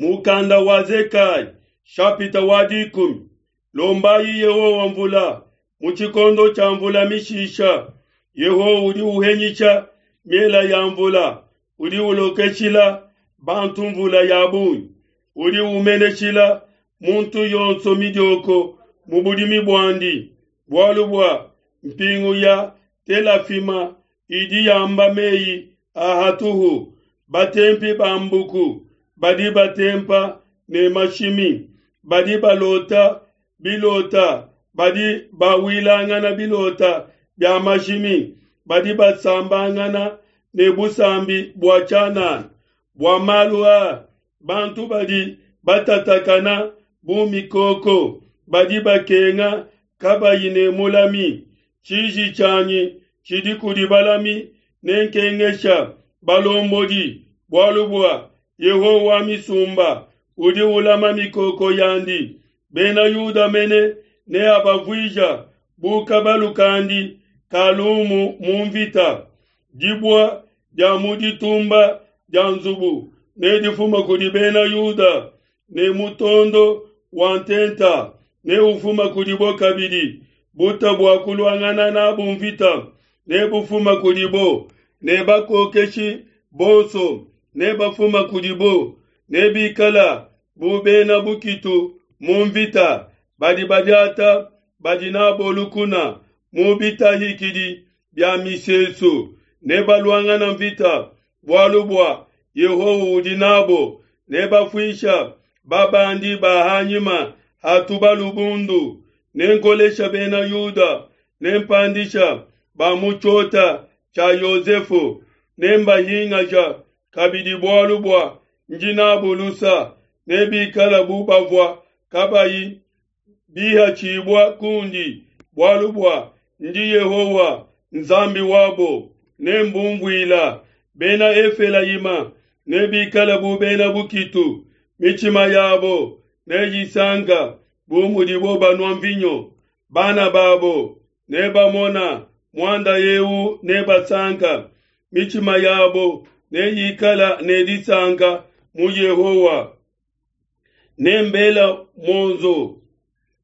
Mukanda wa Zekaya, shapita wa 10. Lombayi Yehowa mvula mu tshikondo tshia mvula mishisha. Yehowa udi uhenyisha miela ya mvula, udi ulokeshila bantu mvula ya bungi, udi umeneshila muntu yonso midioko mu budimi buandi. Bualu bua mpingu ya telafima idi yamba meyi a hatuhu, batempi ba mbuku badi batempa ne mashimi, badi balota bilota, badi bawilangana bilota bia mashimi, badi basambangana ne busambi bua tshianana. Bua malu aa bantu badi batatakana bu mikoko, badi bakenga kabayi ne mulami. Tshiji tshianyi tshidi kudi balami, nenkengesha balombodi, bualu bua Yehowa wa misumba udi ulama mikoko yandi. Bena Yuda mene neabavuija bu kabalu kandi ka lumu mu mvita. Dibua dia mu ditumba dia nzubu nedifuma kudi bena Yuda, ne mutondo wa ntenta neufuma kudibo kabidi. Buta bua kuluangana nabu mvita nebufuma kudibo, ne bakokeshi bonso nebafuma kudibo, nebikala bu bena bukitu mu mvita, badi badiata badi nabo lukuna mu bitahikidi bia misesu, nebaluangana mvita, bualu bua Yehowa udi nabo, nebafuisha babandi ba hanyima ha tubalu bundu. Nenkolesha bena Yuda, nempandisha ba mu tshiota tshia Yosefu, nembahingaja kabidi bualu bua ndi nabu lusa, nebikala bu bavua kabayi bihatshibua kundi, bualu bua ndi Yehowa Nzambi wabo, nembumvuila. Bena Efelayima nebikala bu bena bukitu, mitshima yabo neyisanka bu mudibo banua mvinyo. Bana babo nebamona muanda eu nebasanka, mitshima yabo neyikala ne disanka mu Yehowa. Nembela muonzo,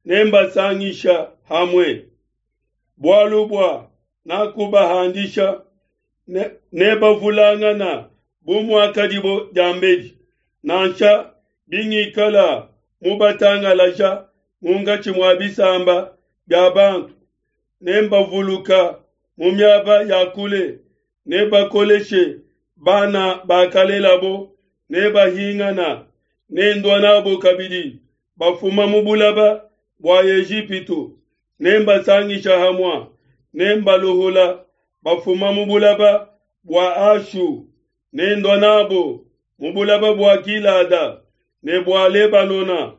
nembasangisha hamwe, bualu bua nakubahandisha, nebavulangana bu muakadibo diambedi. Nansha bingikala mubatangalaja munkatshi mua bisamba bia bantu, nembavuluka mu miaba ya kule, nebakoleshe bana bakalelabo, nebahingana, nendua nabo kabidi bafuma mu bulaba bua Ejipitu, nembasangisha hamua, nembaluhula bafuma mu bulaba bua Ashu, nendua nabo mu bulaba bua Gilada ne bua Lebanona,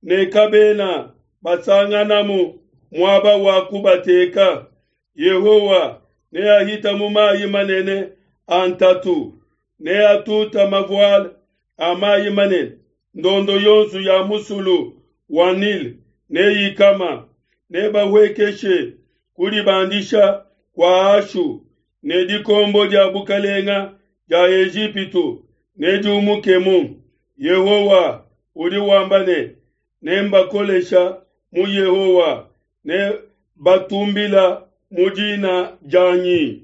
ne kabena basanganamu muaba wa kubateka. Yehowa neahita mu mayi manene a ntatu, neatuta mavuala a mayi manene, ndondo yonso ya musulu wa Nile neyikama, nebahuekeshe kudibandisha kua Ashu, ne dikombo dia bukalenga dia Ejipitu nediumukemu. Yehowa udi wamba ne, nembakolesha mu Yehowa, ne batumbila mu dina dianyi.